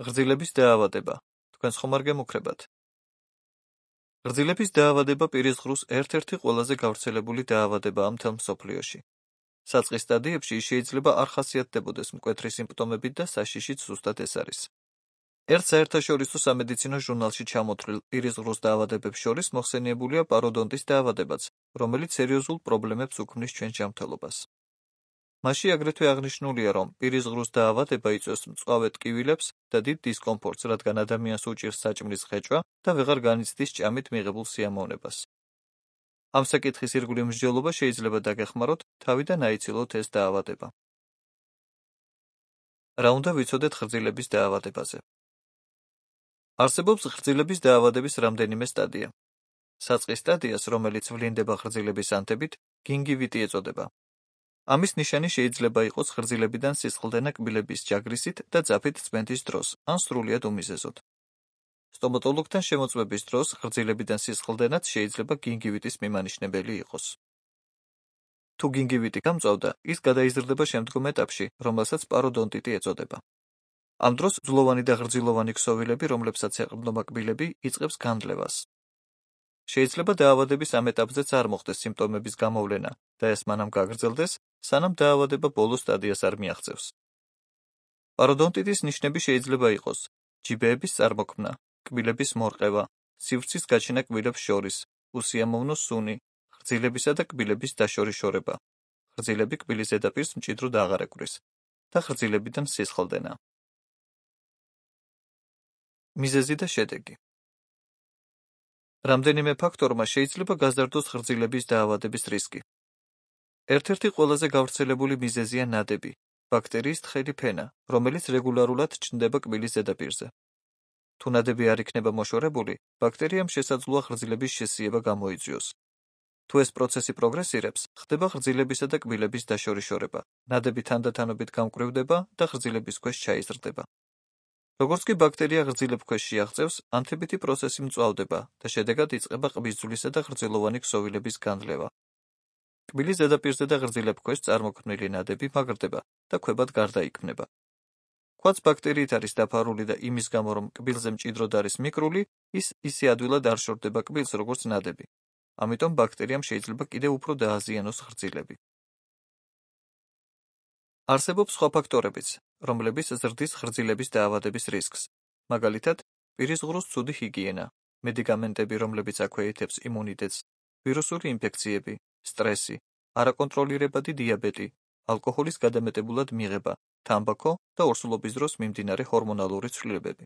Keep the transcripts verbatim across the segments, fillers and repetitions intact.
ღრძილების დაავადება. თქვენს ხომ არ გემუქრებათ? ღრძილების დაავადება პირის ღრუს ერთ-ერთი ყველაზე გავრცელებული დაავადებაა მთელ მსოფლიოში. საწყის სტადიებში ის შეიძლება არ ხასიათდებოდეს მკვეთრი სიმპტომებით და საშიშიც ზუსტად ეს არის. ერთ საერთაშორისო სამედიცინო ჟურნალში ჩამოთვლილ პირის ღრუს დაავადებებს შორის მოხსენიებულია პაროდონტის დაავადებაც, რომელიც სერიოზულ პრობლემებს უქმნის ჩვენს ჯანმრთელობას. მასში აგრეთვე აღნიშნულია, რომ პირის ღრუს დაავადება იწვევს მწვავე ტკივილებს და დიდ დისკომფორტს, რადგან ადამიანს უჭირს საჭმლის ღეჭვა და ვეღარ განიცდის ჭამით მიღებულ სიამოვნებას. ამ საკითხის ირგვლივ მსჯელობა შეიძლება დაგეხმაროთ, თავიდან აიცილოთ ეს დაავადება. რა უნდა ვიცოდეთ ღრძილების დაავადებაზე? არსებობს ღრძილების დაავადების რამდენიმე სტადია. საწყის სტადიას, რომელიც ვლინდება ღრძილების ანთებით, გინგივიტი ეწოდება. ამის ნიშანი შეიძლება იყოს ღრძილებიდან სისხლდენა კბილების ჯაგრისით და ძაფით წმენდის დროს, ან სრულიად უმიზეზოდ. სტომატოლოგთან შემოწმების დროს ღრძილებიდან სისხლდენაც შეიძლება გინგივიტის მიმანიშნებელი იყოს. თუ გინგივიტი გამწვავდა, ის გადაიზრდება შემდგომ ეტაპში, რომელსაც პაროდონტიტი ეწოდება. ამ დროს ძვლოვანი და ღრძილოვანი ქსოვილები, რომლებსაც ეყრდნობა კბილები, იწყებს განძლევას. შეიძლება დაავადების ამ ეტაპზეც არ მოხდეს სიმპტომების გამოვლენა და ეს მანამ გაგრძელდეს, სანამ დაავადება ბოლო სტადიას არ მიაღწევს. პაროდონტიტის ნიშნები შეიძლება იყოს ჯიბეების წარმოქმნა, კბილების მორყევა, სივრცის გაჩენა კბილებს შორის, უსიამოვნო სუნი, ღრძილებისა და კბილების დაშორიშორება, ღრძილები კბილის ზედაპირს მჭიდროდ აღარ ეკვრის და ღრძილებიდან სისხლდენა. მიზეზი და შედეგი. რამდენიმე ფაქტორმა შეიძლება გაზარდოს ღრძილების დაავადების რისკი. ერთ-ერთი ყველაზე გავრცელებული მიზეზია ნადები, ბაქტერიის თხელი ფენა, რომელიც რეგულარულად ჩნდება კბილის ზედაპირზე. თუ ნადები არ იქნება მოშორებული, ბაქტერიამ შესაძლოა ღრძილების შესიება გამოიწვიოს. თუ ეს პროცესი პროგრესირებს, ხდება ღრძილებისა და კბილების დაშორიშორება, ნადები თანდათანობით გამკვრივდება და ღრძილების ქვეშ ჩაიზრდება. როგორც კი ბაქტერია ღრძილებ ქვეშ შეაღწევს, ანთებითი პროცესი მწვავდება და შედეგად იწყება ყბისძვლისა და ღრძილოვანი ქსოვილების განძლევა. კბილის ზედაპირზე და ღრძილებ ქვეშ წარმოქმნილი ნადები მაგრდება და ქვებად გარდაიქმნება. ქვაც ბაქტერიით არის დაფარული და იმის გამო, რომ კბილზე მჭიდროდ არის მიკრული, ის ისე ადვილად არ შორდება კბილს, როგორც ნადები. ამიტომ ბაქტერიამ შეიძლება კიდევ უფრო დააზიანოს ღრძილები. არსებობს სხვა ფაქტორებიც, რომლებიც ზრდის ღრძილების დაავადების რისკს, მაგალითად, პირის ღრუს ცუდი ჰიგიენა, მედიკამენტები, რომლებიც აქვეითებს იმუნიტეტს, ვირუსული ინფექციები, სტრესი, არაკონტროლირებადი დიაბეტი, ალკოჰოლის გადამეტებულად მიღება, თამბაქო და ორსულობის დროს მიმდინარე ჰორმონალური ცვლილებები.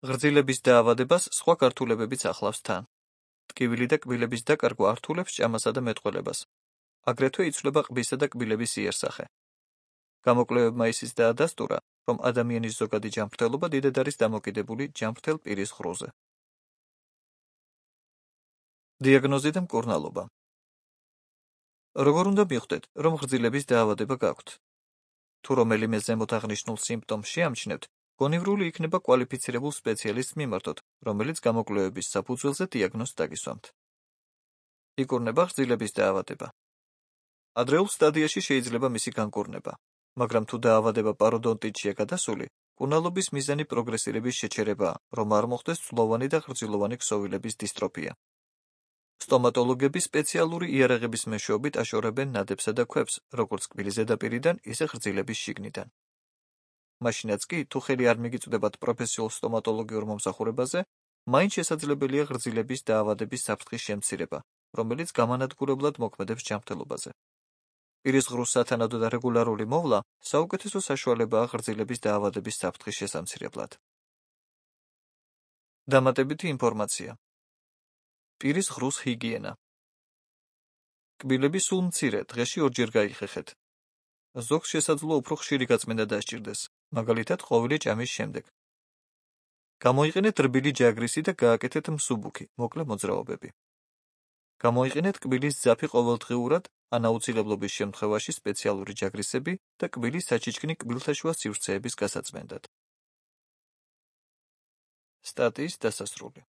ღრძილების დაავადებას სხვა გართულებებიც ახლავს თან. ტკივილი და კბილების დაკარგვა ართულებს ჭამასა და მეტყველებას. აგრეთვე იცვლება ყბისა და კბილების იერსახე. გამოკვლევებმა ისიც დაადასტურა, რომ ადამიანის ზოგადი ჯანმრთელობა დიდად არის დამოკიდებული ჯანმრთელ პირის ღრუზე. დიაგნოზი და მკურნალობა. როგორ უნდა მიხვდეთ, რომ ღრძილების დაავადება გაქვთ? თუ რომელიმე ზემოთ აღნიშნულ სიმპტომს შეამჩნევთ, გონივრული იქნება კვალიფიცირებულ სპეციალისტს მიმართოთ, რომელიც გამოკვლევების საფუძველზე დიაგნოზს დაგისვამთ. იკურნება ღრძილების დაავადება. ადრეულ სტადიაში შეიძლება მისი განკურნება, მაგრამ თუ დაავადება პაროდონტიტშია გადასული, მკურნალობის მიზანი პროგრესირების შეჩერებაა, რომ არ მოხდეს ძვლოვანი და ღრძილოვანი ქსოვილების დისტროფია. სტომატოლოგები სპეციალური იარაღების მეშვეობით აშორებენ ნადებსა და ქვებს, როგორც კბილის ზედაპირიდან, ისე ღრძილების შიგნიდან. მაშინაც კი, თუ ხელი არ მიგიწვდებათ პროფესიულ სტომატოლოგიურ მომსახურებაზე, მაინც შესაძლებელია ღრძილების დაავადების საფრთხის შემცირება, რომელიც გამანადგურებლად მოქმედებს ჯანმრთელობაზე. პირის ღრუს სათანადო და რეგულარული მოვლა საუკეთესო საშუალებაა ღრძილების დაავადების საფრთხის შესამცირებლად. დამატებითი ინფორმაცია. პირის ღრუს ჰიგიენა. კბილები სულ მცირე, დღეში ორჯერ გაიხეხეთ. ზოგს შესაძლოა უფრო ხშირი გაწმენდა დასჭირდეს, მაგალითად ყოველი ჭამის შემდეგ. გამოიყენეთ რბილი ჯაგრისი და გააკეთეთ მსუბუქი, მოკლე მოძრაობები. გამოიყენეთ კბილის ძაფი ყოველდღიურად, ან აუცილებლობის შემთხვევაში სპეციალური ჯაგრისები და კბილის საჩიჩქნი კბილთაშუა სივრცეების გასაწმენდად. სტატიის დასასრული.